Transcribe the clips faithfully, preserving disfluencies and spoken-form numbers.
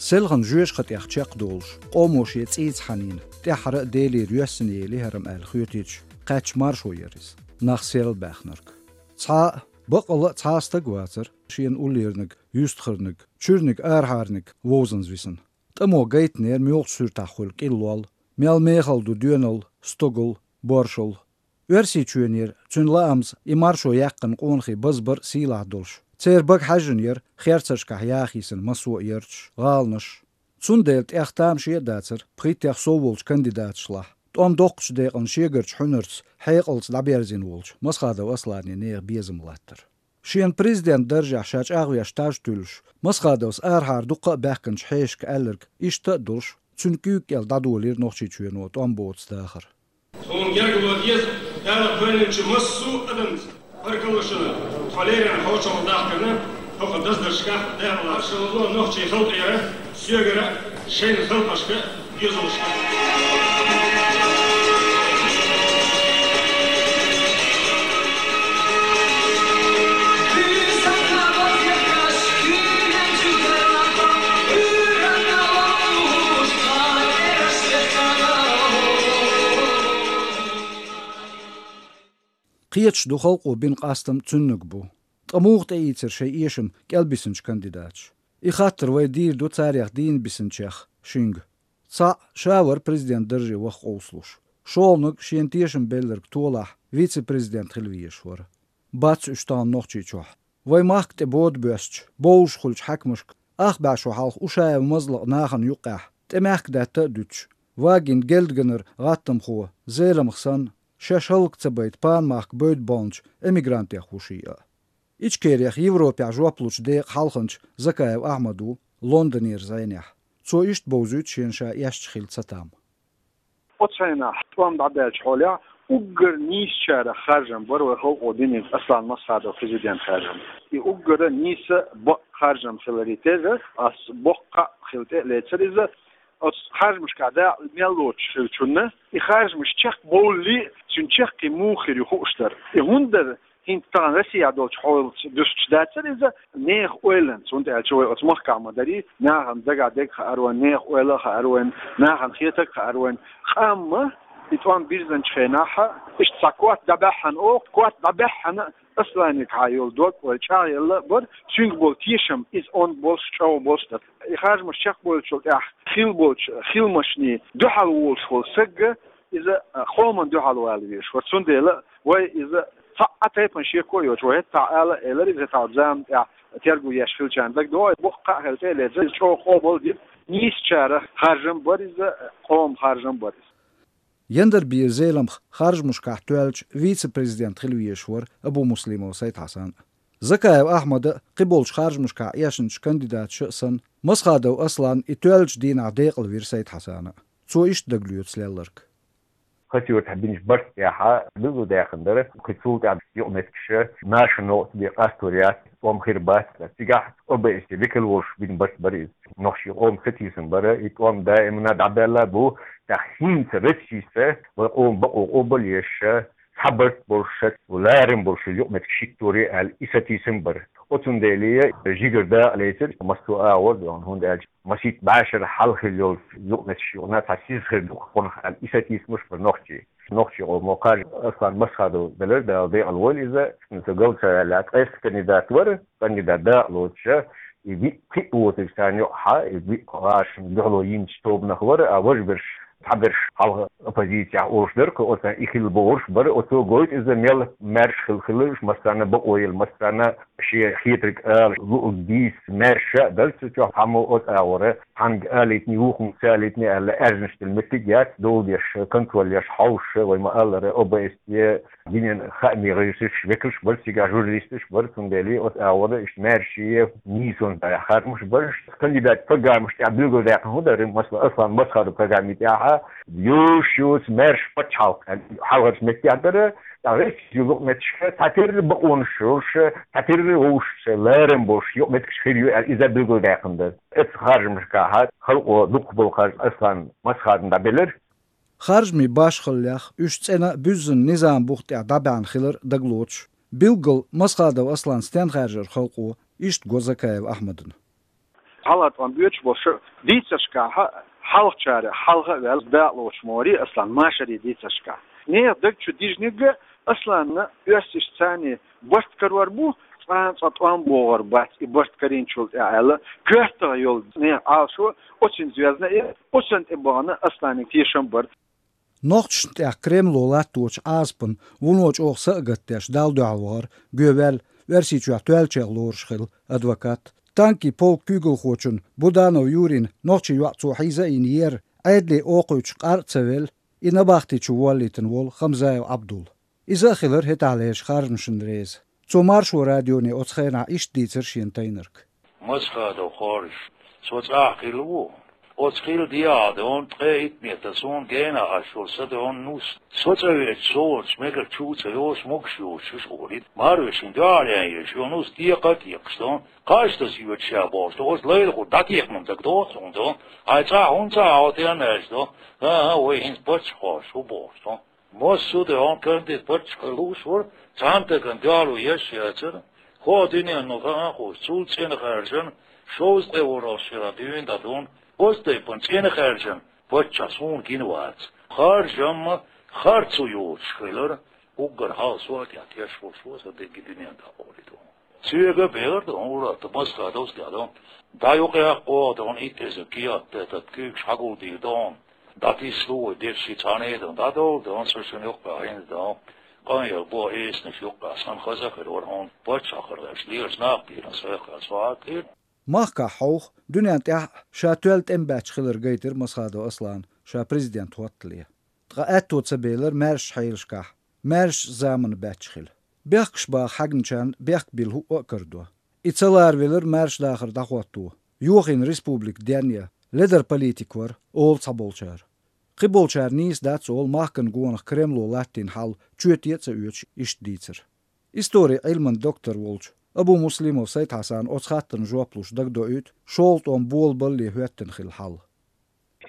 Селхан жоьжахатӀех чекхдолуш, къомо шен цӀийца хьанийна, тӀаьххьара а Делера йоьссина елира хӀара-м аьлла хоьтуьйтуш, кхаьчча маршо яра иза, нах серлабаьхнарг. Цхьа а, баккъала а цхьа а стаг вацара шена уллерниг, юьстахарниг, чуьрниг, арахьарниг вовзанза висина. ТӀамо гайтинера муьлхачу суьртахь хуьлу кӀиллол, мел мехала ду доьналла, стогалла, боршалла. Оьрсийчоьнера, цуьнан лаамца, и маршо яьккхина къонахий базбар а сийлахь долуш, церан бага хьаьжжина яра херцаршкахь яха йисина массо а ярташ, гӀаланаш. Цундела тӀех тамаше а дацара пхийттех сов волчу кандидаташлахь, тӀом доккхачу декъана шегарчу хьуьнарца хьекъалца дӀаберзийна волчу Масхадов Аслане нехан безам латтар. Шена президент даржехь ша чӀагӀвеш таж туьллуш, Масхадовс арахьара дуккха а баьхкинчу хьешашка аьлларг иштта а долуш, цуьнан куьйга кӀел дӀадолийра Нохчийчоьно тӀом боцу дахар. Тхуна гергарло деза Дала кхоьллинчу массо а адамца. Паркалушина, тхо леррина хьошалгӀа дахкарна, хӀокху даздаршкахь дехалаш. Шалазо нохчийн халкъера, соьгара, шайна халкъашка, дезалашка. Кхеташ ду халкъо бина къастам цуьнниг бу. Ткъа муха тӀеийцира шайн эшам кӀелбисинчу кандидаташа? И хаттар вай дийр ду царех дийна бисинчех шинга. Цхьаъ ша вара президент дарже ваха къовсалуш. ШолгӀаниг шена тешам белларг толахь вице-президент хила везаш вара. Бац уьш тахана Нохчийчохь. Вайн махка тӀе бода боьстучу, бовзуш хуьлучу хьаькамашка, ах бӀе шо хьалха Ушаев Мазлакъ нахана юккъехь, тӀе мехкадаьтта а дуьтуш, вагийна гелдаганара гӀаттамхо, Зеламха санна, шаьш хӀаллак ца байта панмахка бевдда болчу эмигрантех ву шиъ а. Ичкерех Европехь жоп лучу декъан хьалханча Закаев Ахьмад ву Лондонера зӀенехь. Цо иштта бовзуьйту шена ша эшча хилла цатам. Оцу хенахь тӀом дӀабаьллачу хьолехь уггар нийсачарах харжам бара вай халкъо динарг Аслан Масхадов президент харжам. И уггара нийса бакъ харжам хиларе терра, ас боккха а хила тӀе а лецара иза, оцу харжамашкахь дакъа мел лоцуш хиллачунна, и харжамаш чекхбовллий, цуьнан чаккхе муха хир ю хууш дара. И хӀунда дара? ХӀинца тахана Россехь долчу хьолаца дуьстуш дацара иза, нехан ойланца, хӀунда аьлча вай оцу махкахь ма дарий, нахана дагахь дерг а хаьара вайна, нехан ойла а хаьара вайна, нахана хетарг а хаьара вайна. Къамма и тӀом бирзинчу хенахь, иштта цхьа котта дӀабаьхьана оха, котта дӀабаьхьана Асланегахьа йолу дог вай чӀагӀъелла а бара, цуьнга болу тешам иза онда болуш, чӀогӀа болуш дара. И харжамаш чекхбовлучул тӀаьхьа хилла болчу хиламашний дуьхьал волуш волу сагга иза, а, къоман дуьхьал вала везаш вара. Цундела вай иза цхьа а тайпана шеко а йоцуш, вай хӀетахь ала а элира, иза хӀетахь зама тӀехь терго еш хилчарна дагадогӀу, боккха а хила тӀе а лецира, иза чӀогӀа къобал дира. Нийсачарах харжам бара иза, къоман харжам бара иза. Яндарбийра Зеламха харжамашкахь тоьллачу вице-президент хила везаш вара Абумуслимов Сайд-Хьасан а. Закаев Ахьмада а, кхиболчу харжамашкахь эшначу кандидаташа а санна, Масхадов Аслан и тоьллачу дийнахь декъалвира Сайд-Хьасана а. Цо иштта дагалоьцу лелларг. Хасийтахь бинчу барт тӀехь билгалдаьккхина дара, кхин цул тӀаьхьа юкъаметтигаш наша новкъа бен къастор яц, тӀом хир бац. Цигахь О Б С Е векал волуш бина барт бара иза. Нохчийн къоман сатийсам бара, и тӀом даимана дӀабаьлла а бу, тӀаккха хӀинца Россица вай къоман бакъо къобал еш, цхьа барт болуш, ларам болуш юкъаметтигаш хӀитторе аьлла, и сатийсам бара. Оцундела жигара дакъа лецира массо а агӀор, хӀунда аьлча масийтта бӀешара хьалха хилла йолчу юкъаметтигаш юкъана цхьа сиз хир ду-кх хӀокхунах аьлла, и сатийсамаш бара нохчийн. Нохчийн къомо кхаж Аслан Масхадов делира, Дала декъала войла иза, цо галдаца ваьлла, ткъеста кандидат вара, кандидат дакъа лоцуша, и виъ-кхиъ воцург царна юкъахь, и виъ гӀашна дуьхьало йинчу тобанах вара, а важа берш, цхьаберш хьалха оппозицехь олуш дара-кх, оцу и хилла бохурш бара, оцо гойту иза мел маьрша хила хиларш, массарна а бакъо елла, массарна а шен хетарг ала, луург дийца, маьрша а дара цу чохь, хьаммо оцу агӀора, цхьаьнга алийтиний, вукхунга ца алийтиний аьлла, аьрзнаш дала меттиг яц, дола деш, контроль еш, хьовсуш, вай ма-аллара, О Б С Е, динан хаамийн гӀирсаш, векалш бара цигахь, журналисташ бара, цундела оцу агӀора иштта маьрша а, нийсонца а харжамаш бара. Кандидат программаш тӀехь билгалдаьккхина хӀун дара, масала, Аслан Масхадов программи тӀехь, йозуш йоцу маьрша пачхьалкх, хьалхарчу меттехь дара, ТӀаккха везачу юкъаметтигашка цхьатерра бакъонаш йолуш, цхьатерра вовшашца ларам болуш юкъаметтигаш хир ю аьлла, иза билгалдаьккхина дара. Оцу харжамашкахь халкъо дукхахболу харж Аслан Масхадовна дӀабелира. Харжамийн башхаллех уьш цӀена буьззина низам бух тӀехь дӀабаьхьна хилар дагалоцуш, билггал Масхадов Аслан стен хаьржира халкъо, иштта го Закаев Ахьмадна. ГӀалгӀа тӀом боьдуш болуш дийцаршкахь, хьалхачара хьалха а ваьлла, дакъалоцуш ма варий Аслан машаре дийцаршкахь. Нехан даг чу дижнарг а Асланна оьрсашца цхьаьна барт карор бу, цкъа а цкъа тӀом богӀур бац и барт карийначул тӀаьхьа аьлла, коьртах йолу нехан Ӏалашо оцунна звездна и, оцунна тӀе бахана Асланан тешам бар. Нохчашна тӀехь Кремло латточу Ӏазапан вуно чӀогӀа са а гатдеш, Далла дуьхьал вахара, гӀо ваьлла, Оьрсийчохь тоьллачех лоруш хилла адвокат, танкийн полкан куьйгалхочун Буданов Юрин нохчийн йоӀ цо хьийза а йина ер, Ӏедале окхуьйтуш къар а ца велла, и набахти чу воллийтина волу Хамзаев Ӏабдул. Иза а хилира хӀетахь лерчу харжамашна реза. Цо Маршо радионе оцу хенахь иштта дийцира шена тайнарг. Масхадов Хоржа, со цӀахь хилла ву. Оцу хилла дехьа дон, ткъе итт метр суна гена аш йолу са дон нус. Со цӀа веача, со волчу мегар чу ца йолуш могуш йоцуш уьш олийта. Марвешин дуьхьал ян еш, йо нус декъа а кекхаш дон. Кхаж таса йоьдуш ша бохуш дон, оцу лайла хур дӀакекхман дага доху суна дон. Хьайн цӀахь хӀунда ца хьовтаьн аьлча дон. ХӀан-хӀа, вай хӀинца паччахь кхош ву бохуш дон. Массо а де хьуна кандид паччахь хила лууш вара, цхьана дагана доьлла еш яцара. ХӀо дуьненна хаан а хууш, цул цӀена хаьржина, шовзткъе ворхӀалгӀачу шарахь дуьйна дӀадуьйна, оцу тайпана цӀена хаьржина паччахь суна гина вац. Харжам а, харцо йоцуш хилира, уггар хьалха со а тӀехь теш волуш ву сан дерриге дуьненна дӀакъовлийта ву. Соьга а бехира ду хьуна ур-атталла, Масхадовс а тӀехь ду. ДӀа юкъа яккха вогӀу ду хьуна итт эзар кехат тӀе, тӀаккха куьйгаш хьагулдийр ду хьуна. ДӀатиссало вай дерриш цхьаьна а ду хьуна, дӀадовла ду хьуна, со шуна юккъехь хӀинца ду хьуна. Къан ял бо эсанаш юккъехь санна хаза а хир вара хьуна, паччахьалкхера гӀерташ лелаш нах бийран со яххьа со хьагатийра. Махкахь хьовха, дуьненна тӀехь а ша тоьлла тӀемабаьчча хилар гайтира Масхадов Аслана ша президент хӀоттале. Ткъа аьтто ца белира маьршачу хьелашкахь, маьршачу заманна баьчча хила. Бехкаш баха хьаьгначарна бехк билла хӀуъа а карадо. И ца ларавелира маьрша дахар дӀахӀотто, йохийна республика денъян, ледара политик вара, олу цхьаболчара. Кхиболчара нийса дац олу махкана гонах Кремло латтийна хьал чоте а ца оьцуш иштта дийцар. Историн Ӏилман доктор волчу Абумуслимов Сайд-Хьасана оцу хаттарна жоп луш дагадоуьйту шолгӀа тӀом болабалле хӀоьттина хилла хьал.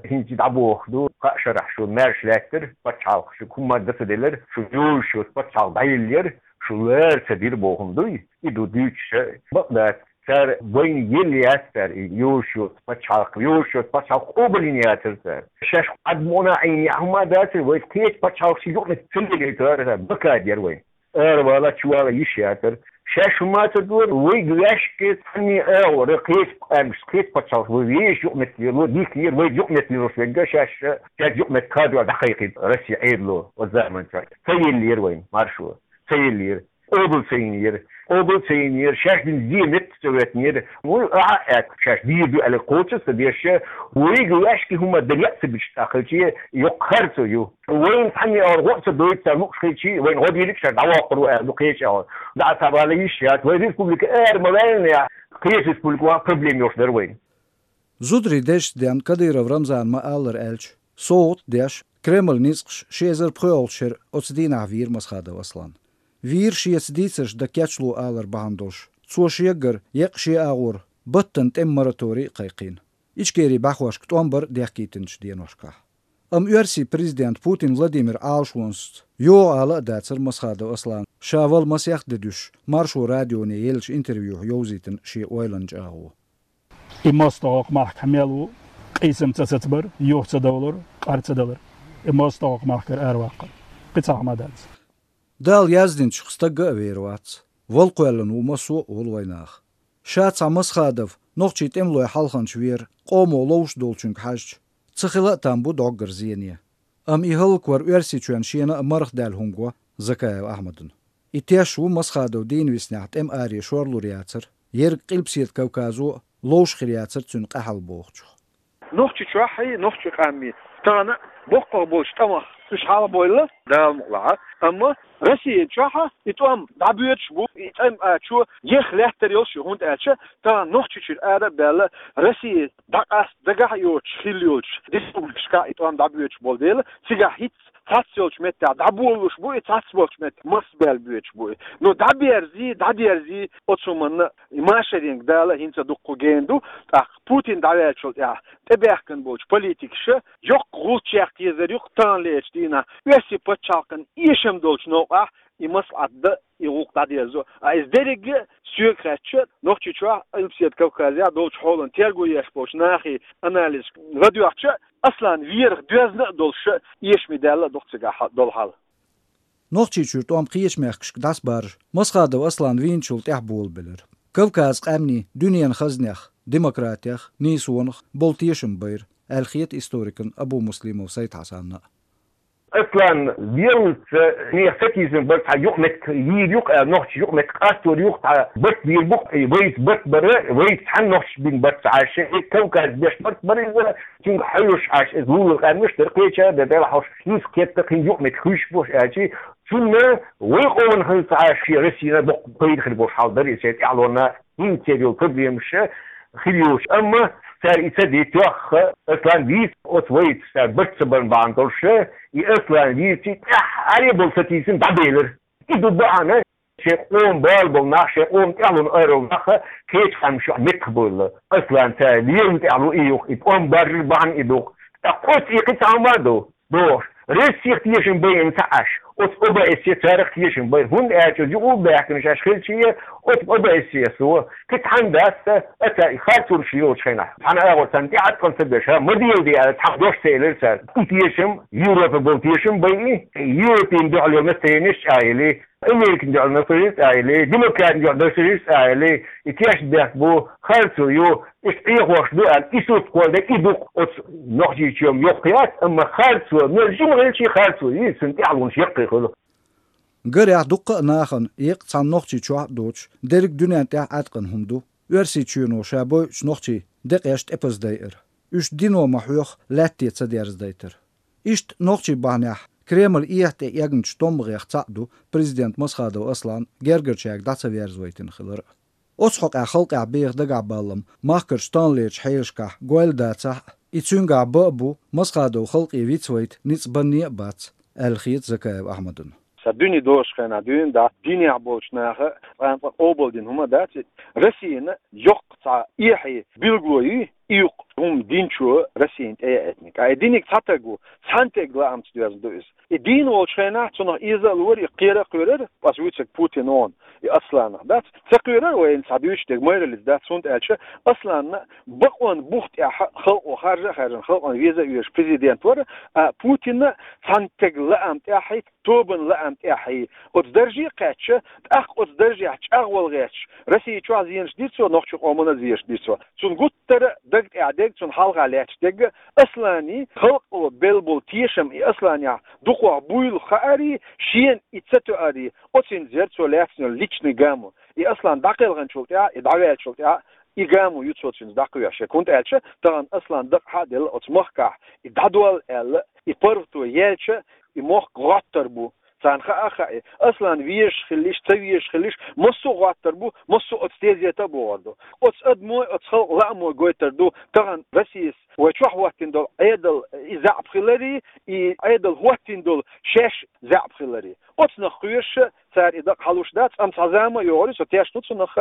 ХӀинца дӀабохуш ду, кхаа шарахь шу маьрша лаьттара, пачхьалкх шу хӀумма дан ца делира, шу йолуш йоцу пачхьалкх дӀаеллера, шу лара ца дира бохург дуй? И ду дуьйцуш, бакъ дац. Цара вайна елла яц цара и йолуш йоцу пачхьалкх, йолуш йоцу пачхьалкх къобалйина яцара цара. Шаьш Ӏадмона Ӏийна яа хӀумма дацара, вай кхечу пачхьалкхашна юкъаметтиг ца лелийтара, бакад яра вайна. Аравала, чувала йиш яцара. Шаьш хӀумма ца дора, вайга ваьшки цхьанне а агӀора, кхечу къаьмнашца, кхечу пачхьалкхашца вай вешан юкъаметтиг лело дика яра, вай юкъаметтиг лелош верг а шаьш, шаьш юкъаметтиг кхадор дӀакхайкхийта Россин Ӏедало оцу заманчохь. Ца еллера вайна маршо, ца еллера. Къобал ца йинера. Къобал ца йинера, шаьш дина зе метта ца веттинера. Вуй, а, а, а, шаьш дийр ду аьлла кхочуш ца деш, вайга ваьшки хӀума дан яа ца бича тӀаккха хилчи, йоккха харцо ю. Вайна цхьанне а гӀо ца дойту цара лууш хилчи, вайна гӀо дийриг шаьш дӀавоккхур ву аьлла ду кхечу а гӀо. ДӀа ца вала йиш яц, вай республика ара ма ваьллинехь, кхечу республика ван проблема йолуш дара вайна. Зударий дезачу денна Кадыров Рамзана ма-аллара аьлча, совгӀат а деш, Кремлан ницкъаша ши эзар пхоьалгӀачу шеран оцу дийнахь вийра Масхадов Аслан. Вийра шеца дийцарш дан кечло алар бахьана долуш, цо шегара еккъа шен агӀор баттана тӀеман мораторий а кхайкхийна, Ичкерин бӀаьхошка тӀом бар а дехкийтинчу деношкахь. Амма оьрсийн президент Путин Владимиран Ӏалашонашца йогӀу ала а дацара Масхадов Аслана ша вала масех де дуьсуш, Маршо радионе еллачу интервьюхь йовзийтина шен ойланан чӀагӀо. И мостагӀа кху махкахь мел ву, къийсам ца сацабар, юха ца довлар, къар ца далар. И мостагӀа кху махкара араваккхар. Кхин цхьа хӀума дац. Дала яздинчух стагга а вер вац. Вала кхоьллина ву массо а олу вайнаха. Ша цхьа Масхадов, нохчийн тӀемалой хьалханча вер, къомо ловш долчуьнга хьаьжча, ца хила а там бу доггара зене. Амма и хӀаллаквар Оьрсийчоьнна шена а марха даьлла хӀума го Закаев Ахьмадна. И теш ву Масхадов дийна виснехь тӀеман аре шорлур яцара, ерриг Къилбаседа Кавказо а ловш хир яцара цуьнан къаьхьалла бохучух. Нохчийчохь а, нохчийн къамий тахана боккхагӀа болчу тӀамах уьш хьалабойла, Дала мукъ лахь. Амма Россия чохь а и тӀом дӀабоьдуш бу, и тӀеман ачо еха лаьттар йолуш ю, хӀунда аьлча тахана Нохчийчуьра ара а баьлла, Россия дӀакъаста дагахь а йоцуш хилла йолчу республикашкахь и тӀом дӀабоьдуш болу дела, цигахь хӀинцца цхьацца йолчу меттехь дӀаболалуш бу и, цхьацца болчу меттехь массабаьлла боьдуш бу и. Но дӀаберзий, дӀадерзий, оцу хӀуманна и машаренга Дала хӀинца дуккха гена ду, тӀаккха Путин дӀаваьллачул тӀаьхьа тӀебаьхкина болчу политикаша йоккха гӀулч яккха езар ю-кх таханлерчу дийнахь оьрсийн пачхьалкхан эшам долчу новкъахь и маслаӀат дан, и гӀуллакх дӀадерзо. А из деррига а соьга хаьттача, Нохчийчохь, Къилбаседа Кавказехь долчу хьолан терго еш болчу нахе анализ ладоьгӀча, Аслан верах доьзна а долуш, эшаме даьлла а ду-кх цигахь долу хьал. Нохчийчуьра тӀом кхечу мехкашка дӀасабаржа Масхадов Аслан вийначул тӀаьхьа болабелира. Кавказан къаьмнийн дуьненан хазнех, демократех, нийсонах болу тешам байра, аьлла хета историкана Абумуслимов Сайд-Хьасанна а. Аслан веллалц нехан сатийсам бара, цхьа юкъаметтиг йийр ю-кх аьлла, нохчийн юкъаметтиг къастор ю-кх, цхьа барт бийр бу-кх, и вайца барт бара, вайца цхьаьна нохчаша бина барт ца Ӏаш, и Кавказ беш барт бара иза, цуьнга хьоьжуш Ӏаш, иза вуьйр къаьмнаш дара, кхечара дара, Дала хьалха, хӀинца кхетта, кхин юкъаметтиг хуьйсуш болуш аьлча, цунна вай къомана хилла ца Ӏаш, шен Россина боккха пайда хир болуш хьал дара иза шен тӀаьхьалонна. ХӀинца церан йолу проблемаш хир йолуш. Амма цара и ца дийцча, Аслан вийца оцу вайца цара барт ца барна бахьана долуш, и Аслан вийци тӀаьххьара болу сатийсам дӀабелира. И ду бахьана, шен къоман бала болу нах, шен къоман тӀаьхьалонна айралла нах кхечу къаьмнаш юкъахь меттахбевлла. Аслан цара лелам тӀехь лу и юха, и тӀом баржар бахьана и ду-кх. ТӀаккха оцу и кхин цхьа хӀума а ду. Бохуш, Россех тешам байина ца Ӏаш, оцу О Б С Е царах тешам байра, хӀунда аьлча оцу юкъа баьхкинарш Ӏаш хилча, оцу О Б С Е-со, кхин цхьаьна дац, аса и харцонаш йолчу хенахь, цхьана агӀор царна тӀеӀаткъам ца беш, ха, ма дела де аьлла, цхьа дош ца элира цара. И тешам, Европе болу тешам байи, Европин дуьхьал йолу настроенеш чӀагӀйели, Америкин дуьхьал настроенеш чӀагӀйели, демократин дуьхьал настроенеш чӀагӀйели, и тешнабехк бу, харцо ю, Иштта Ӏехош ду аьлла, и сурт кхолладе, и ду-кх оцу Нохчийчоьнан йоккха яц, амма харцо, мел жима хилча харцо, иза цуьнан тӀаьхьалонаш яккхий хуьлу. Гарехь, дуккха а нахана, еккъа цхьана Нохчийчохь а доцуш, дерриг дуьнен тӀехь Ӏаьткъина хӀума ду, Оьрсийчоьно ша бойучу нохчийн декъеш тӀепаза дайар. Уьш дино ма-хьоьхху лаьтте ца дерзадайтар. Иштта нохчийн бахьанехь Кремль эхь тӀе эгначу томмагӀех цхьаъ ду президент Масхадов Аслан гергарчаьрга дӀа ца верзавайтина хилар а. Оцу хьокъехь халкъехь беха дагахь баллам махкарчу таханлерчу хьелашкахь гойла дацахь а, и цуьнгахь бан а бу Масхадов халкъе вицвайта ницкъ банне а бац, аьлла хета Закаев Ахьмадана. Сан дуьне дозуш хенахь дуьйна дац, динехь болчу наха цкъа-цкъа къобалдина хӀума дац и. Россина йоккха цхьа эхье билгало ю, и юкъа хӀума динчо Россина тӀеяийтинарг. Ткъа и диниг цхьа таг ву, цхьана теган лаамца доьзна ду иза. И дийна волчу хенахь цунах эза а лора, и кхера а кхоьрара, ас вуьйцург Путин вон, и Асланах дац. Ца кхоьрара вайна цхьа дуьйцуш дерг майраллица дац, хӀунда аьлча Асланна бакъонан бух тӀехь халкъо харжа а хаьржина, халкъана веза а везаш президент вара, а Путинна цхьана теган лаам тӀехь, тобанан лаам тӀехь, оцу дарже а кхаьчча, тӀаккха оцу даржехь чӀагӀвала гӀерташ, Россия чохь зенаш дира цо, нохчийн къомана а зенаш дира цо. Цунна гуттара а даг тӀехь дерг, цунна хьалха лаьтташ дерг а, Аслане халкъо белла болу тешам и Асланехь дукхох буйла хаарий, шена и ца тоарий, оцуьнца яра цо лаьцна йолу личный гамо. И Аслан дӀакхелхинчул тӀаьхьа, и дӀаваьллачул тӀаьхьа, и гамо ю цо цуьнца дӀакхоьхьуш. ХӀунда аьлча тахана Аслан дакъа хьа а делла оцу махкахь, и дӀадолла аьлла, и паргӀато яьлча, и мохк гӀоттар бу. Царна хаа а хаьа, Аслан везаш хилла йиш, ца везаш хилла йиш, массо а гӀоттар бу, массо а оцу тезета а богӀур ду. Оцу адамой, оцу халкъан лаамой гойтур ду тахана Россис вай чохь хӀоттийна долу Ӏедал и заьӀап хиларе, и Ӏедал хӀоттийна долу шаьш заьӀап хиларе. Оцунах кхоьруш цара и дакъа хьалуш дац, амма цхьа зама а йогӀур ю, со тешна ву цунах,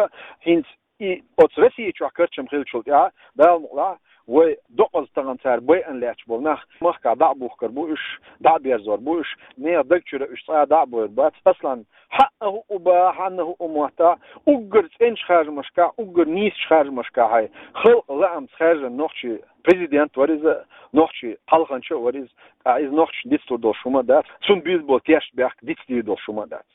хӀинца и оцу Россия чохь карчам хиллачул тӀаьхьа, Дала мукъалахь, вай докъаза тахана цара байъина лаьтташ болу нах махкахь дӀа а бухкур бу уьш, дӀа а берзор бу уьш, нехан даг чуьра уьш цкъа а дӀа а бойр бац. Аслан хьаъа хӀуъу бан, хьанна хӀуъу моттахь, уггар цӀеначу харжамашкахь, уггар нийсачу харжамашкахь халкъан лаамца хаьржина нохчийн президент вара иза, нохчийн хьалханча а вара иза, ткъа иза нохчашна дицлур долуш хӀума а дац, цунна буьйла болу тешнабехк дицдийр долуш хӀума а дац.